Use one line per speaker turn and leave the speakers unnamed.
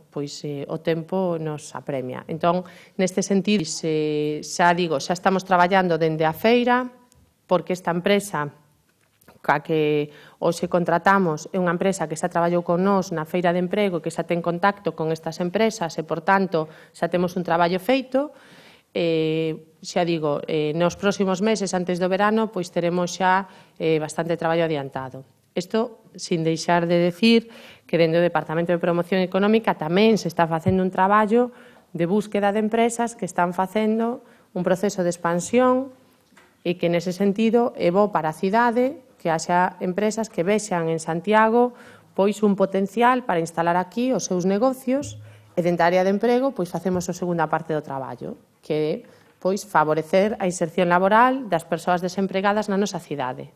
pois o tempo nos apremia. Entón, neste sentido, xa estamos traballando dende a feira, porque esta empresa ca que hoxe contratamos é unha empresa que xa traballou con nós na feira de emprego, que xa ten contacto con estas empresas e, por tanto, xa temos un traballo feito. Xa digo, nos próximos meses, antes do verano, pois teremos xa bastante traballo adiantado. Isto, sin deixar de decir que dentro do Departamento de Promoción Económica tamén se está facendo un traballo de búsqueda de empresas que están facendo un proceso de expansión e que, nese sentido, é bo para a cidade que haxa empresas que vexan en Santiago pois un potencial para instalar aquí os seus negocios e dentro da área de emprego pois facemos a segunda parte do traballo, que é pois favorecer a inserción laboral das persoas desempregadas na nosa cidade.